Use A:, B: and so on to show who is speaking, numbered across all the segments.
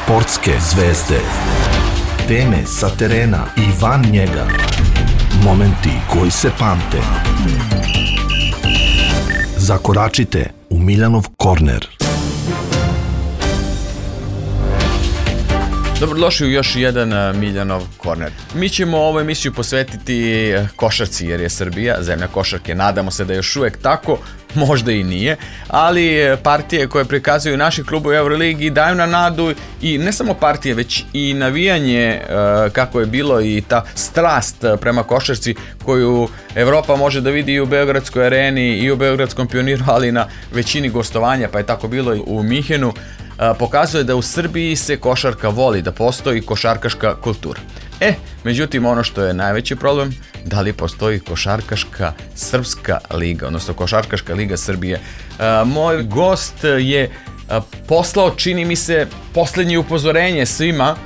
A: Sportske zvezde. Teme sa terena i van njega. Momenti koji se pamte. Zakoračite u Miljanov korner.
B: Dobrodošli u još jedan Miljanov korner. Mi ćemo ovu emisiju posvetiti košarci jer je Srbija zemlja košarke. Nadamo se da je još uvek tako, možda i nije, ali partije koje prikazuju naši klubovi u Euroligi daju na nadu i ne samo partije, već i navijanje kako je bilo i ta strast prema košarci koju Evropa može da vidi i u Beogradskoj areni i u Beogradskom Pioniru, ali i na većini gostovanja, pa je tako bilo i u Minhenu. Pokazuje da u Srbiji se košarka voli, da postoji košarkaška kultura. Međutim, ono što je najveći problem, da li postoji košarkaška srpska liga, odnosno košarkaška liga Srbije. Moj gost je poslao, čini mi se, posljednje upozorenje svima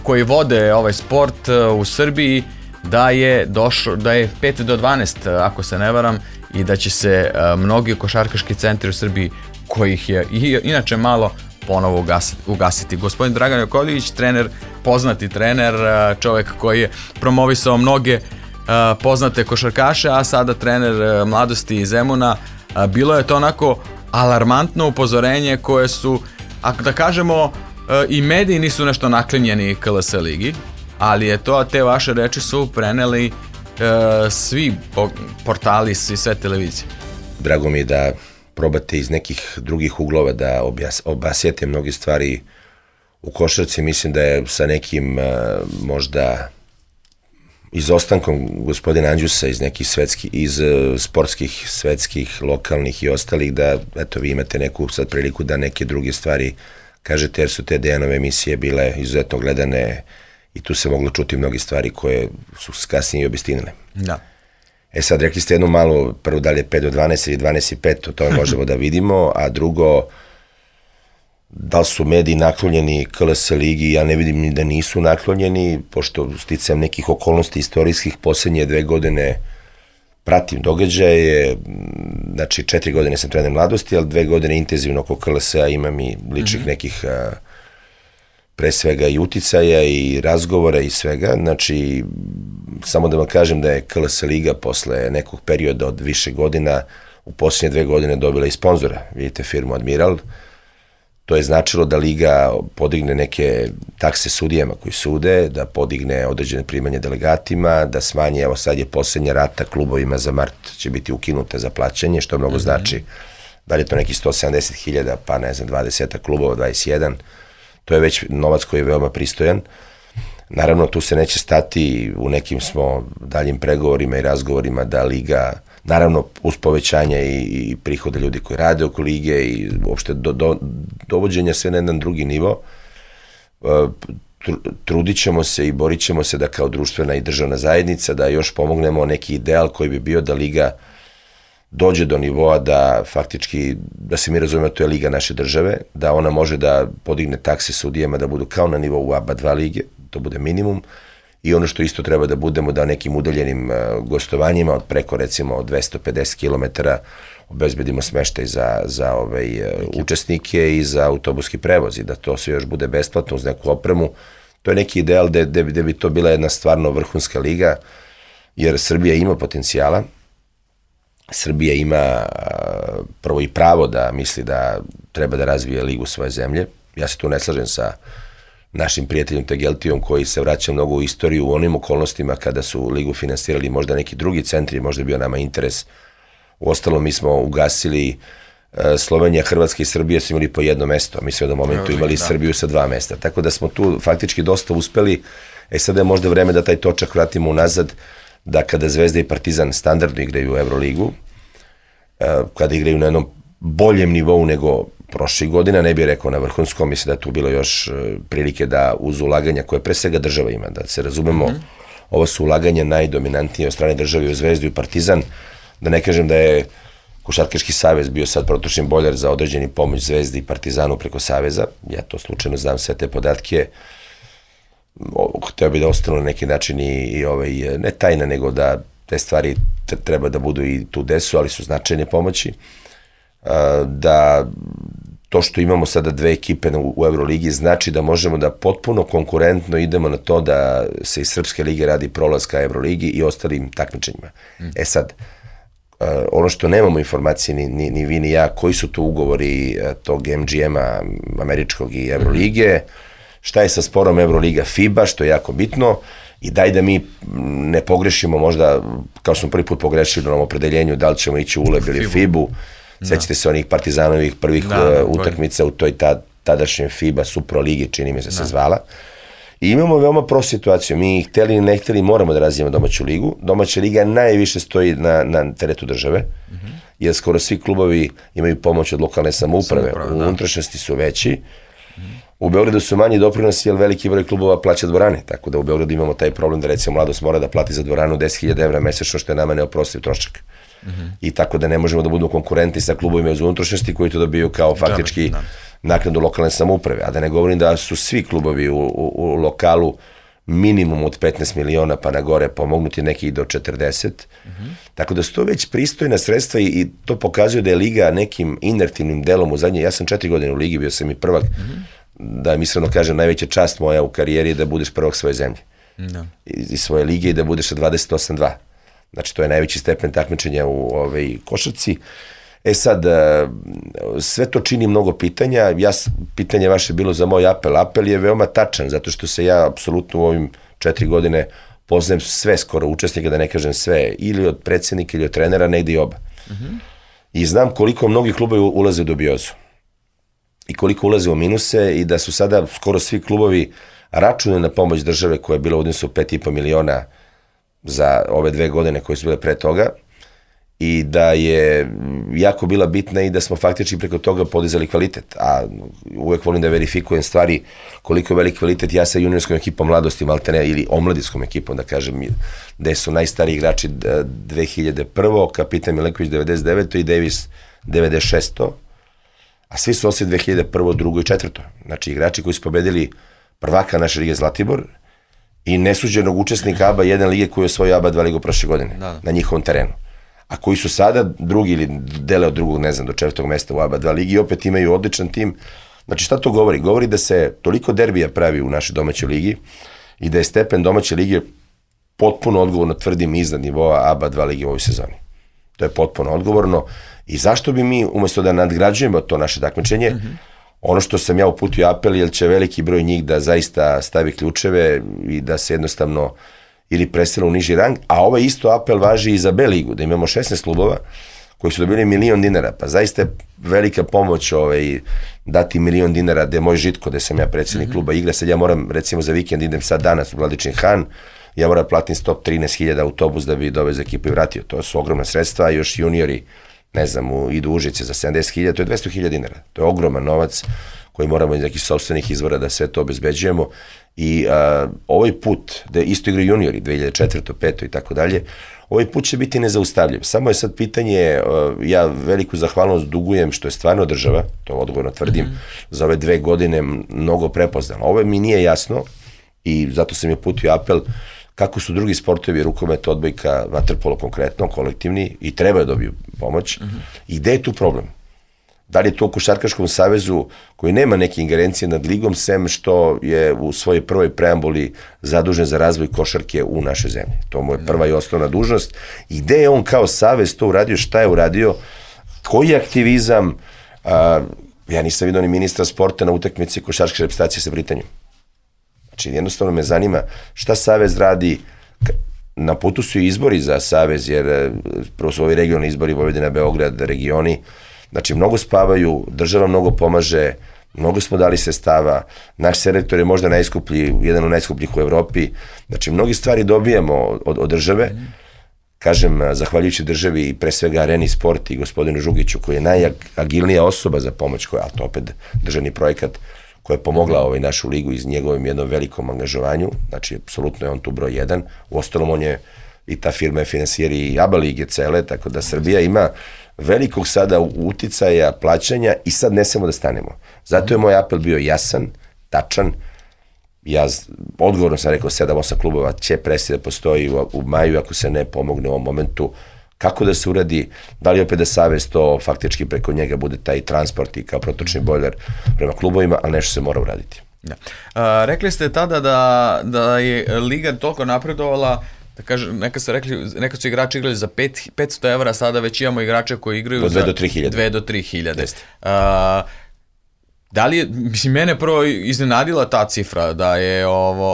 B: koji vode ovaj sport u Srbiji da je 5 do 12, ako se ne varam, i da će se mnogi košarkaški centri u Srbiji, kojih je inače malo, ponovo ugasiti. Gospodin Dragan Jakovljević, trener, poznati trener, čovjek koji je promovisao mnoge poznate košarkaše, a sada trener mladosti iz Zemuna. Bilo je to onako alarmantno upozorenje koje su, ako da kažemo, i mediji nisu nešto naklinjeni KLS ligi, ali je to, te vaše reči su preneli svi portali, sve televizije.
C: Drago mi je da probate iz nekih drugih uglova da obasjete mnoge stvari u košarci. Mislim da je sa nekim možda izostankom gospodina Andjusa iz nekih iz sportskih, svetskih, lokalnih i ostalih, da eto vi imate neku sad priliku da neke druge stvari kažete, jer su te Dejanove emisije bile izuzetno gledane i tu se moglo čuti mnoge stvari koje su kasnije i obistinile.
B: Da.
C: Sad rekli ste jednu malu, prvo da li je 5 do 12 ili 12 i 5, to možemo da vidimo, a drugo, da li su mediji naklonjeni KLS ligi, ja ne vidim ni da nisu naklonjeni, pošto sticajem nekih okolnosti istorijskih posljednje 2 godine pratim događaje, znači 4 godine sam trener mladosti, ali 2 godine intenzivno oko KLS-a imam i ličnih nekih pre svega i uticaja i razgovora i svega, znači samo da vam kažem da je KLS liga posle nekog perioda od više godina u posljednje 2 godine dobila i sponzora, vidite firmu Admiral, to je značilo da liga podigne neke takse sudijama koji sude, da podigne određene primanje delegatima, da smanji, evo sad je posljednja rata klubovima za mart će biti ukinuta za plaćanje, što mnogo znači, da li je to neki 170.000, pa ne znam, 20 klubova, 21, to je već novac koji je veoma pristojan. Naravno, tu se neće stati, u nekim smo daljim pregovorima i razgovorima da liga, naravno uz povećanje i prihoda ljudi koji rade oko lige i uopšte dovođenja sve na jedan drugi nivo, trudit ćemo se i borit ćemo se da kao društvena i državna zajednica da još pomognemo neki ideal koji bi bio da liga dođe do nivoa da faktički, da se mi razumemo, to je liga naše države, da ona može da podigne takse sudijama da budu kao na nivou ABA 2 lige, to bude minimum, i ono što isto treba da budemo da nekim udaljenim gostovanjima od preko recimo 250 km obezbedimo smeštaj za učesnike i za autobuski prevoz i da to sve još bude besplatno uz neku opremu. To je neki ideal gde bi to bila jedna stvarno vrhunska liga, jer Srbija ima potencijala. Srbija ima prvo i pravo da misli da treba da razvije ligu svoje zemlje. Ja se tu ne slažem sa našim prijateljom Tegeltijom koji se vraća mnogo u istoriju u onim okolnostima kada su ligu finansirali možda neki drugi centri, možda je bio nama interes. Uostalom mi smo ugasili Slovenija, Hrvatska i Srbija su imali po jedno mesto, mi smo u jednom momentu imali Srbiju sa 2 mesta, tako da smo tu faktički dosta uspeli. Sada je možda vreme da taj točak vratimo unazad, da kada Zvezda i Partizan standardno igraju u Euroligu, kada igraju na jednom boljem nivou nego prošlih godina, ne bih rekao na vrhunskom, mislim da je tu bilo još prilike da uz ulaganja koje pre svega država ima, da se razumemo, ovo su ulaganja najdominantnije od strane države u Zvezdu i Partizan, da ne kažem da je Košarkaški savez bio sad protočni bojler za određeni pomoć Zvezdi i Partizanu preko saveza, ja to slučajno znam sve te podatke, hteo bi da ostanu na neki način i ne tajna, nego da te stvari treba da budu i tu desu, ali su značajne pomoći, da to što imamo sada 2 ekipe u Euroligi znači da možemo da potpuno konkurentno idemo na to da se iz Srpske lige radi prolaz ka Euroligi i ostalim takmičenjima. Sad, ono što nemamo informacije ni vi ni ja, koji su to ugovori tog MGM-a američkog i Eurolige, šta je sa sporom Euroliga FIBA, što je jako bitno, i daj da mi ne pogrešimo možda, kao smo prvi put pogrešili na ovom opredeljenju, da li ćemo ići u ULEB ili FIBU. Sećate se onih Partizanovih prvih utakmica u toj tadašnjoj FIBA Supro ligi, čini mi se zvala. I imamo veoma prost situaciju. Mi hteli ili ne hteli moramo da razvijemo domaću ligu. Domaća liga najviše stoji na teretu države, jer skoro svi klubovi imaju pomoć od lokalne samouprave. U unutrašnjosti su veći. U Beogradu su manji doprinosi, jer veliki broj klubova plaća dvorane, tako da u Beogradu imamo taj problem da recimo Mladost mora da plati za dvoranu 10.000 evra mesečno, što je nama neoprostiv trošak. I tako da ne možemo da budemo konkurenti sa klubovima iz unutrašnjosti koji to dobiju kao faktički naknadu lokalne samouprave. A da ne govorim da su svi klubovi u lokalu minimum od 15 miliona pa na gore pomognuti, neki do 40. Tako da su to već pristojna sredstva i to pokazuje da je liga nekim inertivnim delom u zadnje, ja sam 4 godine u ligi, bio sam i prvak, da mi iskreno kažem, najveća čast moja u karijeri je da budeš prvak svoje zemlje. Iz svoje lige i da budeš sa 28-2. Znači, to je najveći stepen takmičenja u košarci. Sad, sve to čini mnogo pitanja. Pitanje vaše bilo za moj apel. Apel je veoma tačan, zato što se ja apsolutno u ovim 4 godine poznajem sve skoro učesnika, da ne kažem sve, ili od predsjednika ili od trenera, negde i oba. I znam koliko mnogi klubovi ulaze u dubiozu. I koliko ulaze u minuse i da su sada skoro svi klubovi računali na pomoć države koja je bila u odnosu 5,5 miliona za ove 2 godine koje su bile pre toga i da je jako bila bitna i da smo faktički preko toga podizali kvalitet. A uvek volim da verifikujem stvari koliko je velik kvalitet. Ja sa juniorskom ekipom Mladosti maltene ili omladinskom ekipom, da kažem, gde su najstariji igrači 2001. Kapitan Milenković 99. i Davis 96. A svi su osim 2001. 2. i 4. Znači igrači koji su pobedili prvaka naše lige Zlatibor i nesuđenog učesnika ABA 1 lige koji je osvojio ABA 2 ligu prošle godine na njihovom terenu. A koji su sada drugi ili dele od drugog, ne znam, do 4. mesta u ABA 2 ligi i opet imaju odličan tim. Znači šta to govori? Govori da se toliko derbija pravi u našoj domaćoj ligi i da je stepen domaće lige potpuno odgovorno, tvrdim, iznad nivoa ABA 2 ligi u ovoj sezoni. To je potpuno odgovorno. I zašto bi mi, umjesto da nadgrađujemo to naše takmičenje, ono što sam ja uputio apel, jer će veliki broj njih da zaista stavi ključeve i da se jednostavno ili presele u niži rang, a ovaj isto apel važi i za B ligu, da imamo 16 klubova koji su dobili $1 milion, pa zaista je velika pomoć dati $1 milion, gde je moj Žitko, gde sam ja predsjednik kluba igra, sad ja moram recimo za vikend, idem sad danas u Vladičin Han, ja moram platim 113.000 autobus da bi dovez ekipu i vratio, to su ogromna sredstva, a još juniori, ne znam, idu u Užice za 70.000, to je $200.000, to je ogroman novac koji moramo iz nekih sopstvenih izvora da sve to obezbeđujemo i ovaj put, da isto igraju juniori, 2004. 5. i tako dalje, ovaj put će biti nezaustavljiv. Samo je sad pitanje, ja veliku zahvalnost dugujem što je stvarno država, to odgovorno tvrdim, za ove 2 godine mnogo prepoznala. Ovo mi nije jasno i zato sam je uputio apel kako su drugi sportovi, rukomet, odbojka, vaterpolo konkretno, kolektivni, i treba da dobiju pomoć. I gde je tu problem? Da li je to u Košarkaškom savezu koji nema neke ingerencije nad ligom, sem što je u svojoj prvoj preambuli zadužen za razvoj košarke u našoj zemlji. To mu je prva i osnovna dužnost. I gde je on kao savez to uradio, šta je uradio, koji aktivizam, ja nisam vidio ni ministra sporta na utakmici košarkaške reprezentacije sa Britanijom. Znači, jednostavno me zanima šta savez radi. Na putu su i izbori za savez, jer prvo su ovi regionalni izbori, Vojvodina, Beograd, regioni. Znači, mnogo spavaju, država mnogo pomaže, mnogo smo dali sredstava, naš selektor je možda najskuplji, jedan od najskupljih u Evropi. Znači, mnogi stvari dobijamo od države. Kažem, zahvaljujući državi i pre svega Areni Sport i gospodinu Žugiću, koji je najagilnija osoba za pomoć, a to opet državni projekat, koja je pomogla našu ligu iz njegovim jednom velikom angažovanju. Znači, apsolutno je on tu broj 1. Uostalom, on je i ta firma je finansijer i ABA lige cele, tako da Srbija ima velikog sada uticaja, plaćanja i sad ne smemo da stanemo. Zato je moj apel bio jasan, tačan. Ja odgovorno sam rekao 7-8 klubova će prestati da postoji u maju ako se ne pomogne u ovom momentu kako da se uradi, da li opet da Savez to faktički preko njega bude taj transport i kao protočni bojler prema klubovima, ali nešto se mora uraditi.
B: Da. Rekli ste tada da je Liga toliko napredovala, da kažem, nekad su igrači igrali za 500 evra, sada već imamo igrače koji igraju za 2 do 3 hiljade. Da li je, mislim, mene prvo iznenadila ta cifra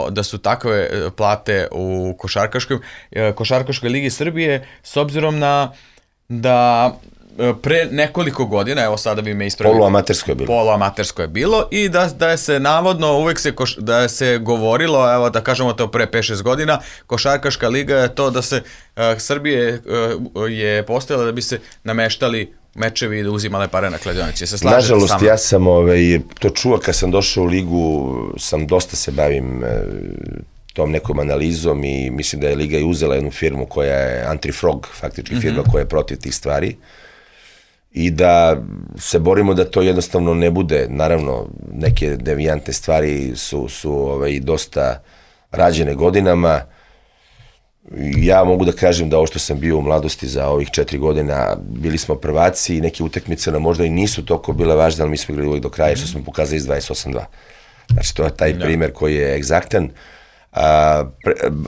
B: da su takve plate u košarkaškoj ligi Srbije, s obzirom na da pre nekoliko godina, evo sada bi me ispravili, poluamatersko je bilo i da je se navodno uvek da se govorilo, evo da kažemo to pre 5-6 godina, košarkaška liga je to da se Srbije je postojala da bi se nameštali mečevi i da uzimale pare na kladionici.
C: Nažalost, ja sam to čuo kad sam došao u ligu, dosta se bavim tom nekom analizom i mislim da je Liga i uzela jednu firmu koja je Anti-Frog, faktički firma koja je protiv tih stvari i da se borimo da to jednostavno ne bude. Naravno, neke devijantne stvari su dosta rađene godinama. Ja mogu da kažem da ovo što sam bio u mladosti za ovih 4 godina, bili smo prvaci i neke utakmice nam možda i nisu toliko bile važne, ali mi smo igrali uvijek do kraja što smo pokazali iz 28-2. Znači, to je taj primer koji je egzaktan.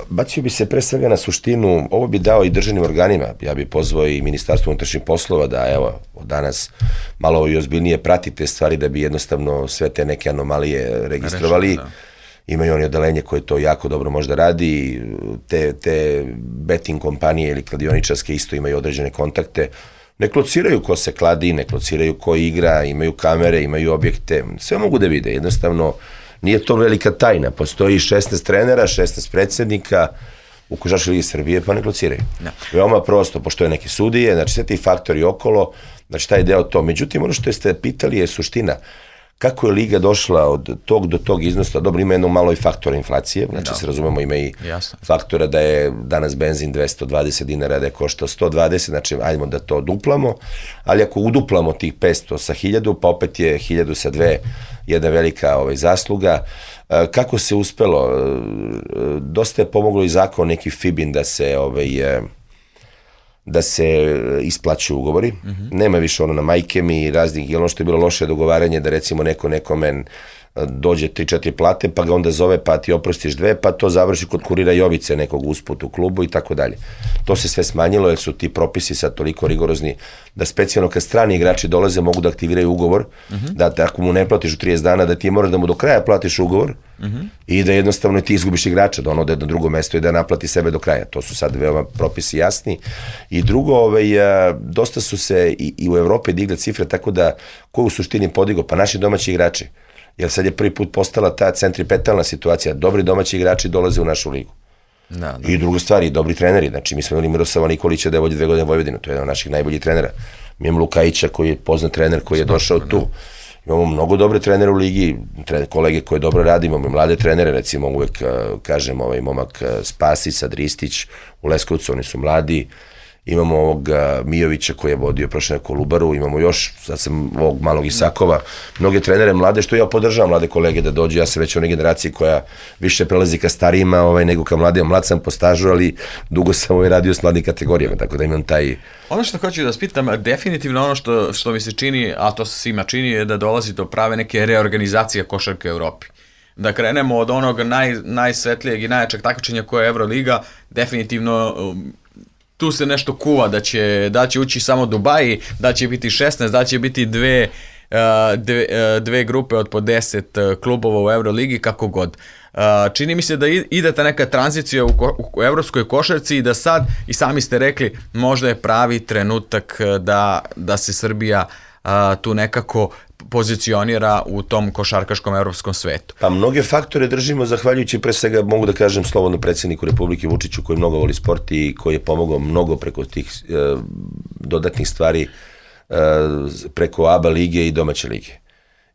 C: Bacio bi se pre svega na suštinu, ovo bi dao i državnim organima, ja bi pozvao i Ministarstvo unutrašnjih poslova da evo od danas malo i ozbiljnije pratite stvari da bi jednostavno sve te neke anomalije registrovali. Imaju oni odelenje koje to jako dobro možda radi, te betting kompanije ili kladioničarske isto imaju određene kontakte, ne klociraju ko se kladi, ne klociraju ko igra, imaju kamere, imaju objekte, sve mogu da vide, jednostavno nije to velika tajna, postoji 16 trenera, 16 predsednika u Košarkaškoj ligi Srbije, pa ne klociraju. Veoma prosto, postoje neke sudije, znači sve ti faktori okolo, znači taj deo to. Međutim, ono što ste pitali je suština. Kako je Liga došla od tog do tog iznosa, dobro, ima jedno malo i faktora inflacije, znači se razumemo, ima i faktora da je danas benzin 220 dinara, da je koštao 120, znači ajdemo da to duplamo, ali ako uduplamo tih 500 sa 1000, pa opet je 1000 sa 2 jedna velika zasluga. Kako se uspelo? Dosta je pomoglo i zakon neki FIBIN da se isplaćuju ugovori. Nema više ono na majke mi i raznih, ono što je bilo loše dogovaranje da recimo nekome dođe 3-4 plate, pa ga onda zove, pa ti oprostiš 2, pa to završi kod kurira Jovice nekog usput u klubu i tako dalje. To se sve smanjilo jer su ti propisi sad toliko rigorozni da specijalno kad strani igrači dolaze mogu da aktiviraju ugovor, da ako mu ne platiš u 30 dana, da ti moraš da mu do kraja platiš ugovor i da jednostavno ti izgubiš igrača, da on ode na drugo mesto i da naplati sebe do kraja. To su sad veoma propisi jasni. I drugo, dosta su se i u Evropi digle cifre, tako da ko u suštini podigo? Pa naši domaći igrači. Jer sad je prvi put postala ta centripetalna situacija. Dobri domaći igrači dolaze u našu ligu. I druga stvar, i dobri treneri. Znači, mi smo imali Miroslava Nikolića da je vodi 2 godine Vojvodinu. To je jedan od naših najboljih trenera. Mi imamo Lukajića koji je poznat trener koji je došao tu. Imamo mnogo dobre trenere u ligi, kolege koje dobro radi, imamo i mlade trenere, recimo uvek kažem momak Spasić, Ristić u Leskovcu, oni su mladi. Imamo ovog Mijovića koji je vodio prošle Kolubaru, imamo još, sad sam ovog malog Isakova, mnoge trenere mlade, što ja podržavam mlade kolege da dođu, ja sam već u onoj generaciji koja više prelazi ka starijima nego ka mladima, mlad sam po stažu, ali dugo sam radio s mladim kategorijama, tako da imam taj...
B: Ono što hoću da vas pitam, definitivno ono što mi se čini, a to se svima čini, je da dolazi do prave neke reorganizacije košarke u Evropi. Da krenemo od onog najsvetlijeg i najjačeg takmičenja koje je Euroliga, definitivno... Tu se nešto kuva da će ući samo Dubaji, da će biti 16, da će biti dve grupe od po 10 klubova u Euroligi, kako god. Čini mi se da ide ta neka tranzicija u evropskoj košarci i da sad, i sami ste rekli, možda je pravi trenutak da se Srbija tu nekako pozicionira u tom košarkaškom evropskom svetu.
C: Pa mnoge faktore držimo zahvaljujući pre svega, mogu da kažem slobodno, predsjedniku Republike Vučiću koji mnogo voli sport i koji je pomogao mnogo preko tih dodatnih stvari preko ABA lige i domaće lige.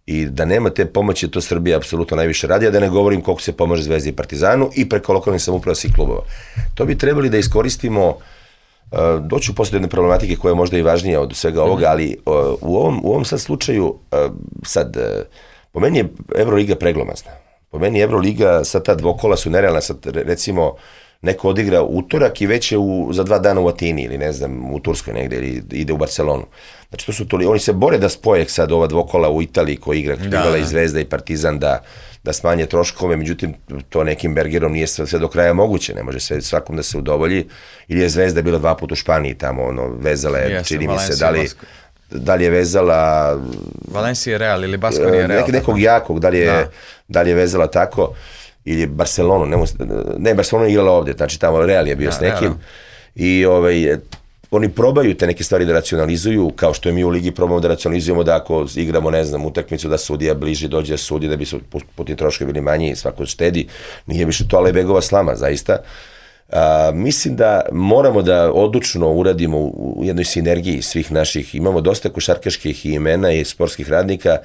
C: I da nema te pomoći, to Srbija apsolutno najviše radi, a da ne govorim koliko se pomaže Zvezdi i Partizanu i preko lokalnih samouprava svih klubova. To bi trebali da iskoristimo. Doću posle jedne problematike koja je možda i važnija od svega ovoga, ali u ovom sad slučaju, po meni je Euroliga preglomazna. Po meni Euroliga, sad ta dvokola su nerealna, sad recimo neko odigra utorak i već je za 2 dana u Atini ili ne znam, u Turskoj negde ili ide u Barcelonu. Znači to su oni se bore da spoje sad ova dvokola u Italiji koji igra i Zvezda i Partizan da smanje troškove, međutim to nekim Bergerom nije sve do kraja moguće, ne može sve svakom da se udovolji, ili je Zvezda bila 2 puta u Španiji tamo, vezala je, čini mi se, da li je vezala
B: Valencia Real ili Baskonia Real,
C: nekog jakog, da li je vezala tako, ili Barcelonu, Barcelona je igrala ovde, znači tamo Real je bio s nekim, i oni probaju te neke stvari da racionalizuju, kao što je mi u ligi probamo da racionalizujemo da ako igramo, ne znam, utakmicu da sudija bliže dođe da sudi, da bi su putni troškovi bili manji i svako štedi, nije više to Alejbegova slama, zaista. Mislim da moramo da odlučno uradimo u jednoj sinergiji svih naših, imamo dosta košarkaških imena i sportskih radnika,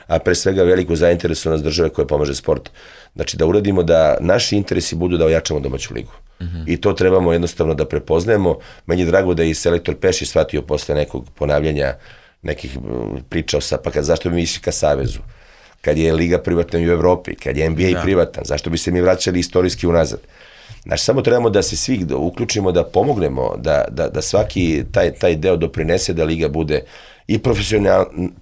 C: a pre svega veliku zainteresovanost države koja pomaže sport. Znači da uradimo da naši interesi budu da ojačamo domaću ligu. I to trebamo jednostavno da prepoznajemo. Meni je drago da je i selektor Pešić shvatio posle nekog ponavljanja nekih priča zašto bi mi išli ka Savezu, kad je liga privatna u Evropi, kad je NBA privatan, zašto bi se mi vraćali istorijski unazad. Znači, samo trebamo da se svi uključimo, da pomognemo, da svaki taj deo doprinese da liga bude i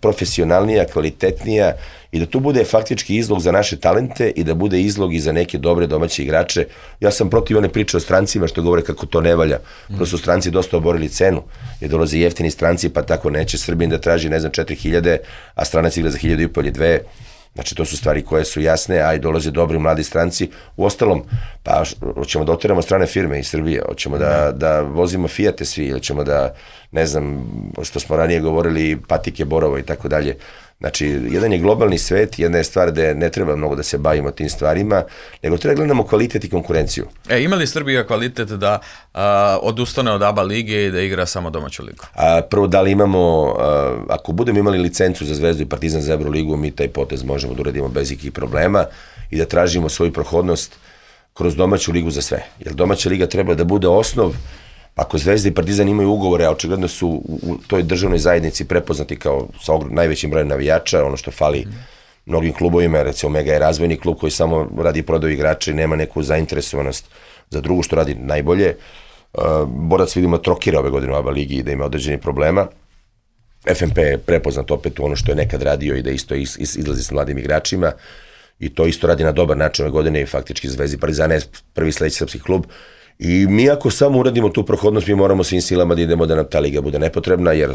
C: profesionalnija, kvalitetnija i da tu bude faktički izlog za naše talente i da bude izlog i za neke dobre domaće igrače. Ja sam protiv one priče o strancima što govore kako to ne valja. Prosto stranci dosta oborili cenu, jer dolaze jeftini stranci, pa tako neće Srbin da traži, ne znam, 4.000, a stranac igra za 1.500 ili 2. Znači, to su stvari koje su jasne, a i dolaze dobri mladi stranci. U ostalom, pa hoćemo da oteramo strane firme iz Srbije, hoćemo da vozimo Fijate svi, ili ćemo da, ne znam, što smo ranije govorili, patike Borovo i tako dalje. Znači, jedan je globalni svet, jedna je stvar da ne treba mnogo da se bavimo tim stvarima, nego treba gledamo kvalitet i konkurenciju.
B: Ima li Srbija kvalitet da odustane od ABA lige i da igra samo domaću ligu?
C: Prvo, da li imamo, ako budemo imali licencu za Zvezdu i Partizan za Euroligu, mi taj potez možemo da uradimo bez ikakvih problema i da tražimo svoju prohodnost kroz domaću ligu za sve. Jer domaća liga treba da bude osnov. Ako Zvezda i Partizan imaju ugovore, a očigledno su u toj državnoj zajednici prepoznati kao sa najvećim brojem navijača, ono što fali mnogim klubovima, recimo Mega je razvojni klub koji samo radi prodaju igrača i nema neku zainteresovanost za drugu što radi najbolje. Borac vidimo trokira ove godine u ABA ligi i da ima određeni problema. FNP je prepoznat opet u ono što je nekad radio i da isto izlazi s mladim igračima i to isto radi na dobar način ove godine i faktički Zvezda i Partizan je prvi sledeći srpski klub. I mi ako samo uradimo tu prohodnost, mi moramo svim silama da idemo da nam ta liga bude nepotrebna, jer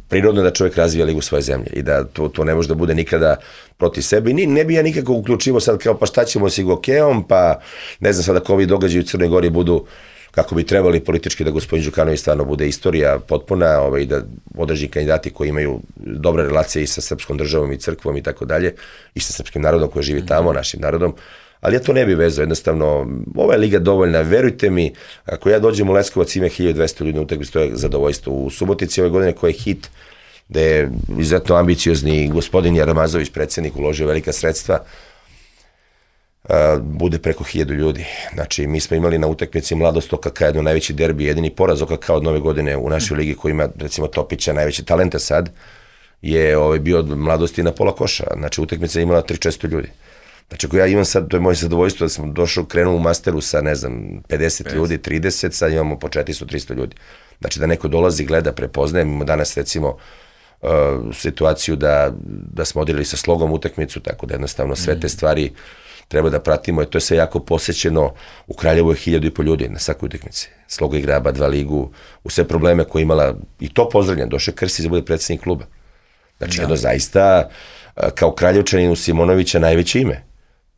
C: prirodno je da čovjek razvija ligu svoje zemlje i da to ne može da bude nikada protiv sebe. I ne bi ja nikako uključivo sad kao pa šta ćemo s Igokeom, pa ne znam sad ako ovi događaji u Crnoj Gori budu kako bi trebali politički da gospodin Đukanović stvarno bude istorija potpuna i da određeni kandidati koji imaju dobre relacije i sa srpskom državom i crkvom i tako dalje i sa srpskim narodom koji živi tamo, našim narodom. Ali ja to ne bi vezao, jednostavno, ova je liga dovoljna, verujte mi, ako ja dođem u Leskovac ima 1200 ljudi na utakmici, to je zadovoljstvo. U Subotici ove godine koji je hit, da je izuzetno ambiciozni gospodin Jaramazović, predsjednik, uložio velika sredstva, bude preko 1000 ljudi. Znači, mi smo imali na utakmici Mladost OKK, jedno najveći derbi, jedini poraz OKK od nove godine u našoj ligi koji ima, recimo, Topića, najveće talenta sad, je bio od Mladosti na pola koša. Znači, utakmica je imala 300-400 ljudi. Znači, ako ja imam sad, to je moje zadovoljstvo da sam krenuo u masteru sa, ne znam, 50 ljudi, 30, sad imamo po 400-300 ljudi. Znači, da neko dolazi, gleda, prepoznaje. Imamo danas, recimo, situaciju da smo odigrali sa Slogom utakmicu, tako da jednostavno sve te stvari treba da pratimo, to je sve jako posećeno. U Kraljevu je 1500 ljudi na svakoj utakmici. Sloga igra ABA 2 ligu, u sve probleme koje imala, i to pozdravljam, došao Krstić da bude predsjednik kluba. Znači, jedno zaista, kao Kraljevčanin u Simonovića najveće ime.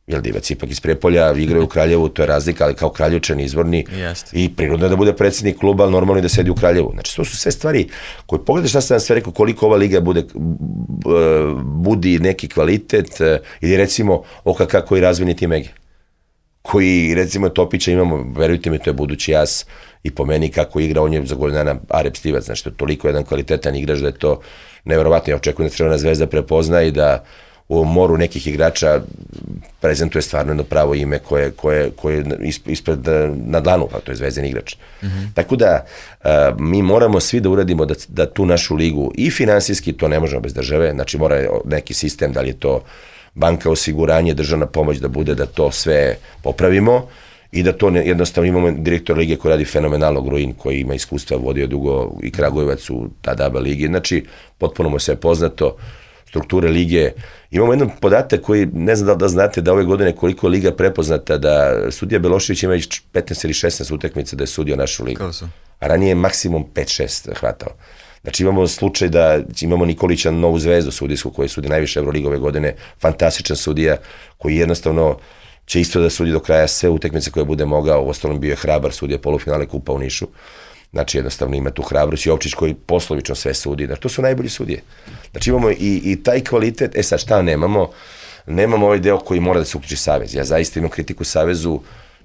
C: Jer Divac ipak iz Prijepolja igraju u Kraljevu, to je razlika, ali kao Kraljevčan izvorni i prirodno je da bude predsjednik kluba, ali normalno je da sedi u Kraljevu. Znači, to su sve stvari koje pogledaj šta sam vam sve rekao, koliko ova liga budi neki kvalitet, ili recimo OKK koji razvojni tim Ege, koji recimo Topića imamo, verujte mi, to je budući as i po meni kako igra, on je za godinu dana Arep Stivac, znači to je toliko jedan kvalitetan igrač da je to neverovatno. Ja očekujem da Crvena Zvezda prepozna i da u moru nekih igrača prezentuje stvarno jedno pravo ime koje je ispred na dlanu, pa to je Zvezdin igrač. Tako da mi moramo svi da uradimo da tu našu ligu i finansijski, to ne možemo bez države, znači mora neki sistem, da li je to banka, osiguranje, državna pomoć da bude da to sve popravimo i da to jednostavno imamo direktor lige koji radi fenomenalno, Gruin, koji ima iskustva, vodio dugo i Kragujevac u tada ABA ligi, znači potpuno mu se je poznato, strukture lige. Imamo jedan podatak koji, ne znam da znate, da ove godine koliko je liga prepoznata, da sudija Belošević ima 15 ili 16 utakmica da je sudio našu ligu. A ranije je maksimum 5-6 hvatao. Znači imamo slučaj da imamo Nikolića, novu zvezdu sudijsku koji sudi najviše Euroliga ove godine, fantastičan sudija koji jednostavno će isto da sudi do kraja sve utakmice koje bude mogao, u ostalom bio je hrabar, sudija polufinale kupa u Nišu. Znači jednostavno ima tu hrabrost, Jovčić koji poslovično sve sudi, znači to su najbolji sudije. Znači imamo i taj kvalitet, sad šta nemamo? Nemamo ovaj deo koji mora da se uključi Savez. Ja zaista imam kritiku Savezu,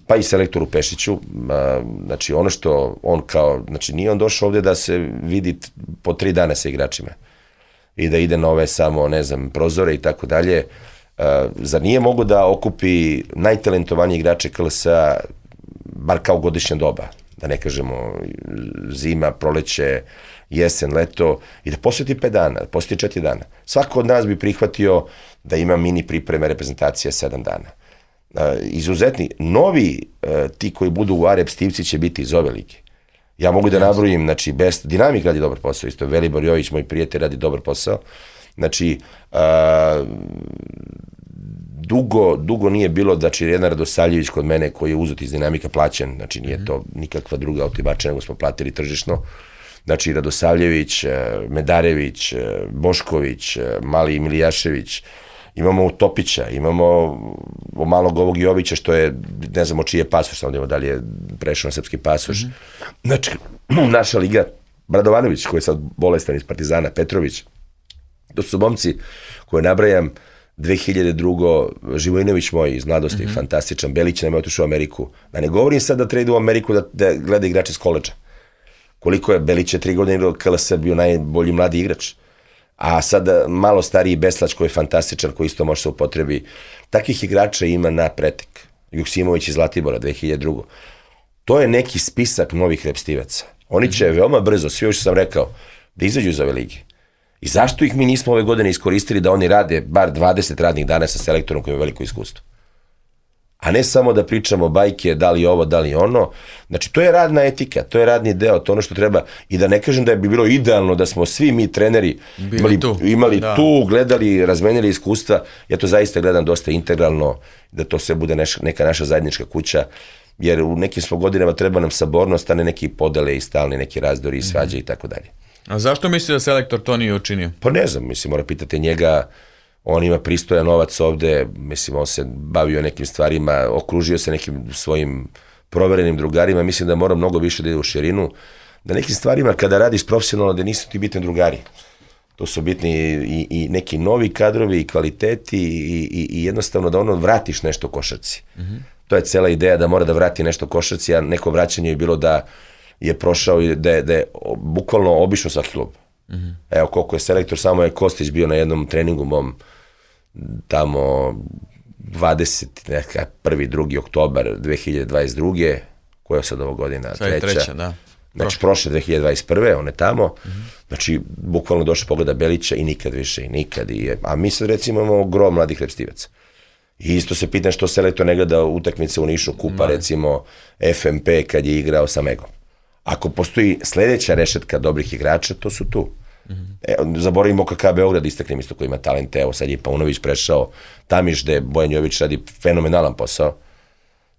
C: pa i selektoru Pešiću, znači ono što on kao, znači nije on došao ovde da se vidi po 3 dana sa igračima i da ide na ove samo, ne znam, prozore i tako dalje. Zar nije mogo da okupi najtalentovanije igrače KLS-a, bar kao godišnja doba, da ne kažemo zima, proleće, jesen, leto, i da posveti 5 dana, da posveti 4 dana. Svako od nas bi prihvatio da ima mini pripreme reprezentacije 7 dana. Izuzetni, novi ti koji budu u Arep Stivci će biti iz ove lige. Ja mogu da nabrojim, znači, Dinamik radi dobar posao, isto Velibor Jović, moj prijatelj, radi dobar posao. Znači, dugo nije bilo, znači, jedan Radosavljević kod mene koji je uzet iz Dinamika plaćen, znači nije to nikakva druga otimača, nego smo platili tržišno. Znači, Radosavljević, Medarević, Bošković, Mali Milijašević, imamo Utopića, imamo malog ovog Jovića, što je, ne znamo čiji je pasoš, samo da li je prešao na srpski pasoš. Znači, naša liga, Bradovanović, koji je sad bolestan iz Partizana, Petrović, to su momci koje nabrajam, 2002. Živojinović moj iz mladosti, fantastičan, Belić nam je otišao u Ameriku. Da ne govorim sad da trade u Ameriku da gleda igrače iz koleđa. Koliko je Belić je 3 godine igrao KLS, bio najbolji mladi igrač. A sad malo stariji Beslać koji je fantastičan, koji isto može se upotrebi. Takvih igrača ima na pretek. Juksimović iz Zlatibora, 2002. To je neki spisak novih repstivaca. Oni će veoma brzo, svi ovo što sam rekao, da izađu iz ove lige. I zašto ih mi nismo ove godine iskoristili da oni rade bar 20 radnih dana sa selektorom koji ima veliko iskustvo? A ne samo da pričamo bajke, da li ovo, da li ono. Znači, to je radna etika, to je radni deo, to ono što treba. I da ne kažem da bi bilo idealno da smo svi mi treneri imali tu, gledali, razmenili iskustva. Ja to zaista gledam dosta integralno, da to sve bude neka naša zajednička kuća, jer u nekim smo godinama treba nam sabornost, a ne neki podele i stalni neki razdori i svađe i tako dalje.
B: A zašto misli da selektor to nije učinio?
C: Pa ne znam, mislim, mora pitati njega. On ima pristojan novac ovde, mislim, on se bavio nekim stvarima, okružio se nekim svojim proverenim drugarima, mislim da mora mnogo više da ide u širinu, da nekim stvarima kada radiš profesionalno da nisu ti bitni drugari. To su bitni i neki novi kadrovi i kvaliteti i jednostavno da ono vratiš nešto košarci. To je cela ideja da mora da vrati nešto košarci, a neko vraćanje je bilo da je prošao i da je bukvalno obišao svaki klub. Evo koliko je selektor, samo je Kostić bio na jednom treningu mom tamo 1. 2. oktobar 2022. Koja je sad ovo godina? Treća,
B: da.
C: Znači prošle 2021. on je tamo, znači bukvalno došao pogleda Belića i nikad više i nikad. A mi sad recimo imamo gro mladih repstivaca. I isto se pitam što selektor ne gleda utakmice u Nišu kupa, recimo FMP kad je igrao sa Megom. Ako postoji sledeća rešetka dobrih igrača, to su tu. Zaboravimo OKK Beograd, istaknem isto koji ima talente, evo sad je Paunović prešao, Tamiš gde Bojan Jović radi fenomenalan posao,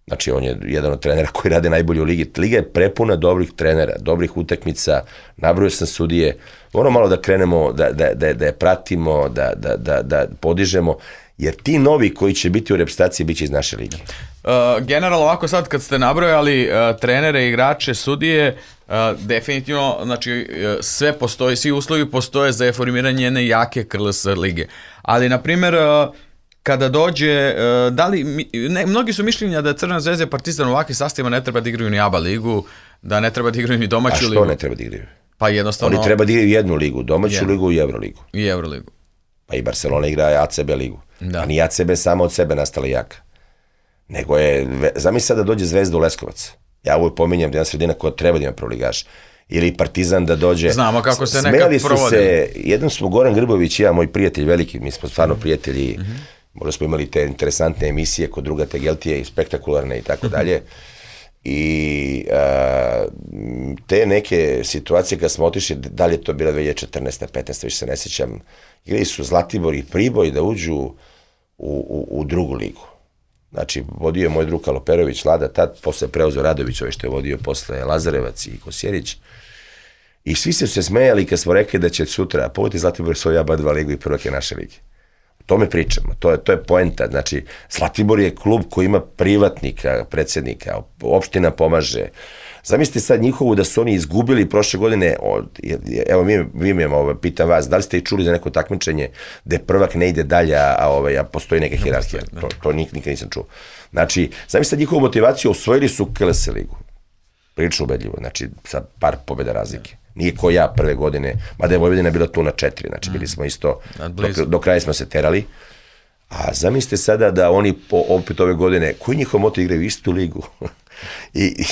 C: znači on je jedan od trenera koji rade najbolje u ligi. Liga je prepuna dobrih trenera, dobrih utakmica, nabrojio sam sudije, ono malo da krenemo, da je pratimo, da podižemo, jer ti novi koji će biti u reprezentaciji biće iz naše lige.
B: Generalno ovako sad kad ste nabrojali trenere, igrače, sudije, definitivno, znači sve postoji, svi uslovi postoje za formiranje jedne jake KLS lige. Ali, na primjer, kada dođe, mnogi su mišljenja da Crvena zvezda i Partizan u ovakvim sastavima ne treba da igraju ni ABA ligu, da ne treba da igraju ni domaću ligu.
C: A što ne treba da igraju?
B: Pa jednostavno...
C: Oni treba da igraju jednu ligu, domaću ligu i Euroligu.
B: I Euroligu.
C: Pa i Barcelona igra ACB ligu. A ni ACB samo od sebe nastala jaka. Nego je, zamisli sad da dođe Zvezda u Leskovac. Ja ovo pominjam da je jedna sredina koja treba da ima proligaš. Ili Partizan da dođe.
B: Znamo kako se nekad provodi.
C: Jednom smo Goran Grbović i ja, moj prijatelj veliki, mi smo stvarno prijatelji, možda smo imali te interesantne emisije kod druga Tegeltije i spektakularne i tako dalje. I te neke situacije kad smo otišli, da li je to bila 2014. 15. više se ne sjećam, igrali su Zlatibor i Priboj da uđu u drugu ligu. Znači, vodio je moj drug Kaloperović, Lada, tad posle preuzeo Radović, što je vodio posle Lazarevac i Kosjerić. I svi su se smejali kad smo rekli da će sutra, pogledajte Zlatibor svoju ABA2 ligu i prvake naše lige. O tome pričamo, to je poenta. Znači, Zlatibor je klub koji ima privatnika, predsjednika, opština pomaže. Zamislite sad njihovu da su oni izgubili prošle godine, evo vi mi pitam vas, da li ste i čuli za neko takmičenje gde prvak ne ide dalje, a postoji neka hijerarhija, to nikad nisam čuo. Znači, zamislite njihovu motivaciju, osvojili su KLS ligu, prilično ubedljivo, znači sa par pobjeda razlike. Nije ko ja prve godine, mada je Vojvodina bila tu na 4, znači bili smo isto, do kraja smo se terali. A zamislite sada da oni opet ove godine, koji njihov moto igraju istu ligu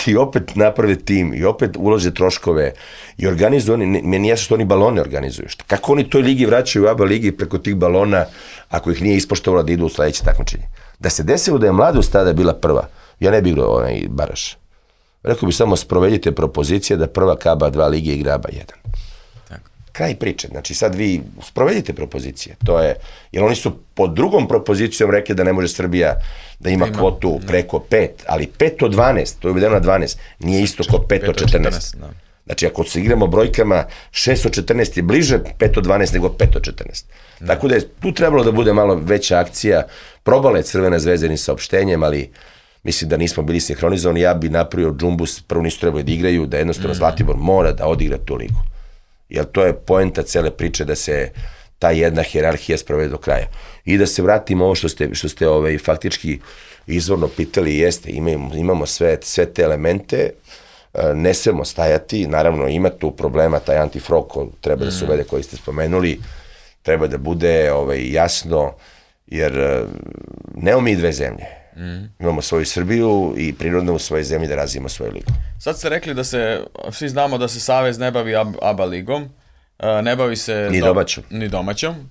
C: i opet naprave tim i opet ulože troškove i organizuju, meni jasno što oni balone organizuju. Kako oni toj ligi vraćaju u ABA ligi preko tih balona ako ih nije ispoštovala da idu u sledeće takmičenje. Da se desilo da je Mladost tada bila prva, ja ne bih igrao onaj Baraš. Rekao bi samo sprovedite propozicije da prva ABA2 lige igra ABA1. Kraj priče, znači sad vi sprovedite propozicije, to je, jer oni su pod drugom propozicijom rekli da ne može Srbija da ima kvotu preko 5, ali 5 od 12, to je uvedeno na 12, nije isto kao 5 od 14. Znači ako se igramo brojkama, 6 od 14 je bliže 5 od 12 nego 5 od 14. Tako da je tu trebalo da bude malo veća akcija, probala je Crvena zvezda ni saopštenjem, ali mislim da nismo bili sinhronizovani, ja bi napravio džumbus, prvo nisu trebali da igraju, da jednostavno Zlatibor mora da odigra tu ligu. Jer to je poenta cele priče da se ta jedna hijerarhija sprovede do kraja. I da se vratimo ovo što ste faktički izvorno pitali, jeste, imamo sve te elemente, ne smemo stajati, naravno ima tu problema, taj antifrog treba da se uvede koji ste spomenuli, treba da bude jasno, jer nemamo mi dve zemlje. Imamo svoju Srbiju i prirodno u svojoj zemlji da razvijemo svoju ligu.
B: Sad ste rekli da svi znamo da se Savez ne bavi ABA ligom, ne bavi se ni domaćom.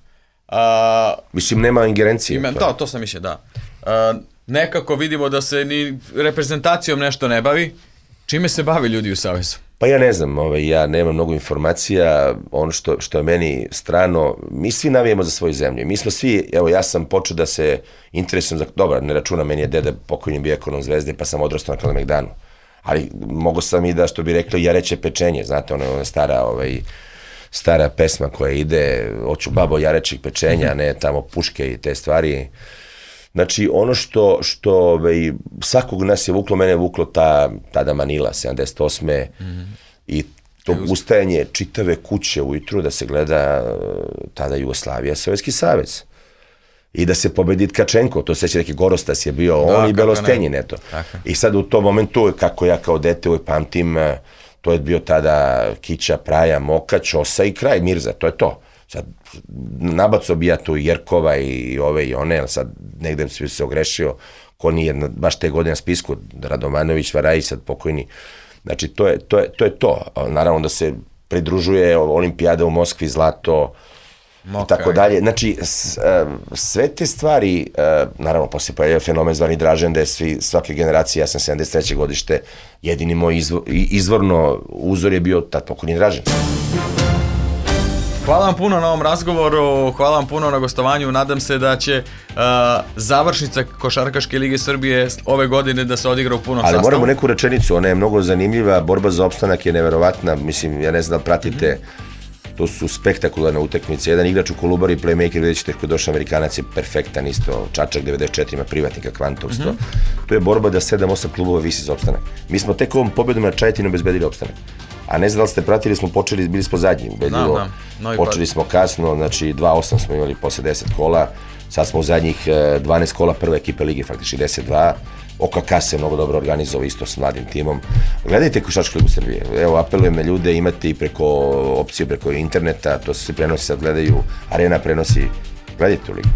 C: Mislim, nema ingerencije.
B: To sam mišljen, da. Nekako vidimo da se ni reprezentacijom nešto ne bavi. Čime se bavi ljudi u Savezu?
C: Pa ja ne znam, ja nemam mnogo informacija, ono što je meni strano, mi svi navijemo za svoju zemlju, mi smo svi, evo ja sam počeo da se interesujem za, dobro, ne računam, meni je deda pokojni bio ekonom Zvezde, pa sam odrastao na Kalemegdanu, ali mogo sam i da, što bi rekli, jareće pečenje, znate, ona stara pesma koja ide, hoću babo jarećeg pečenja, ne tamo puške i te stvari. Znači, ono što svakog nas je vuklo, mene je vuklo tada Manila, 78. I to ustajanje čitave kuće ujutru da se gleda tada Jugoslavija, Sovjetski savez. I da se pobedi Tkačenko, to seća neki Gorostas je bio, on i Belostenjin, eto. I sad u tom momentu, kako ja kao dete uvijek pamtim, to je bio tada Kića, Praja, Moka, Ćosa i kraj, Mirza, to je to. Sad, nabacao bi ja tu Jerkova i ove i one, sad negde bi se ogrešio, ko nije baš te godine na spisku, Radomanović, Varaj, sad pokojni. Znači, to je to. Naravno da se pridružuje Olimpijada u Moskvi, zlato, i tako dalje. Znači, sve te stvari, naravno, posle pojavio fenomen zvani Dražen, da je svake generacije, ja sam 73. godište, jedini moj izvorno uzor je bio tad pokojni Dražen.
B: Hvala vam puno na ovom razgovoru, hvala vam puno na gostovanju, nadam se da će završnica Košarkaške lige Srbije ove godine da se odigra u punom sastavu.
C: Ali moramo neku rečenicu, ona je mnogo zanimljiva, borba za opstanak je neverovatna, mislim, ja ne znam da pratite, to su spektakularne utakmice, jedan igrač u Kolubari, playmaker, vidjet ćete kako došao Amerikanac je perfektan isto, Čačak 94 ima privatnika, Kvantov 100, to je borba da 7-8 klubova visi za opstanak. Mi smo tek ovom pobedom na Čajetinu obezbedili opstanak. A ne znam da li ste pratili, bili smo zadnji, ubedljivo, počeli smo kasno, znači 2-8 smo imali posle 10 kola, sad smo u zadnjih 12 kola prve ekipe lige, faktički 10-2, OKK se mnogo dobro organizovao isto s mladim timom. Gledajte Košarkašku ligu Srbije, evo apelujem na ljude, imate i preko opcije, preko interneta, to se prenosi, sad gledaju, Arena prenosi, gledajte tu ligu.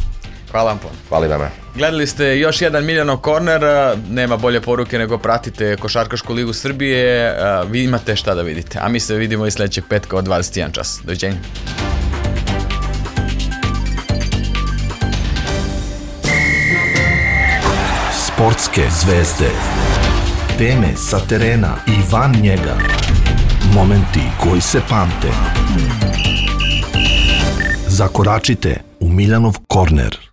B: Hvala vam puno.
C: Hvala i vama.
B: Gledali ste još jedan Miljanov korner, nema bolje poruke nego pratite Košarkašku ligu Srbije, vi imate šta da vidite, a mi se vidimo i sledećeg petka od 21 čas. Doviđenja.
A: Sportske zvezde. Teme sa terena i van njega. Momenti koji se pamte. Zakoračite u Miljanov korner.